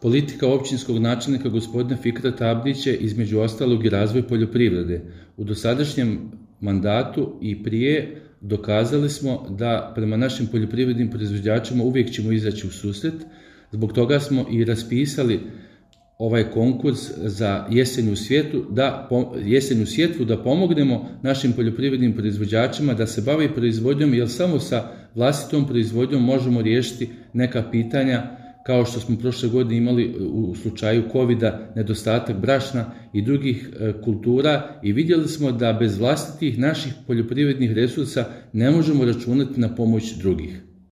Politika općinskog načelnika gospodina Fikrata Abdića je između ostalog i razvoj poljoprivrede. U dosadašnjem mandatu i prije dokazali smo da prema našim poljoprivrednim proizvođačima uvijek ćemo izaći u susret. Zbog toga smo i raspisali ovaj konkurs za jesenju sjetvu da pomognemo našim poljoprivrednim proizvođačima da se bave proizvodnjom, jer samo sa vlastitom proizvodnjom možemo riješiti neka pitanja kao što smo prošle godine imali u slučaju COVID-a, nedostatak brašna i drugih kultura, i vidjeli smo da bez vlastitih naših poljoprivrednih resursa ne možemo računati na pomoć drugih.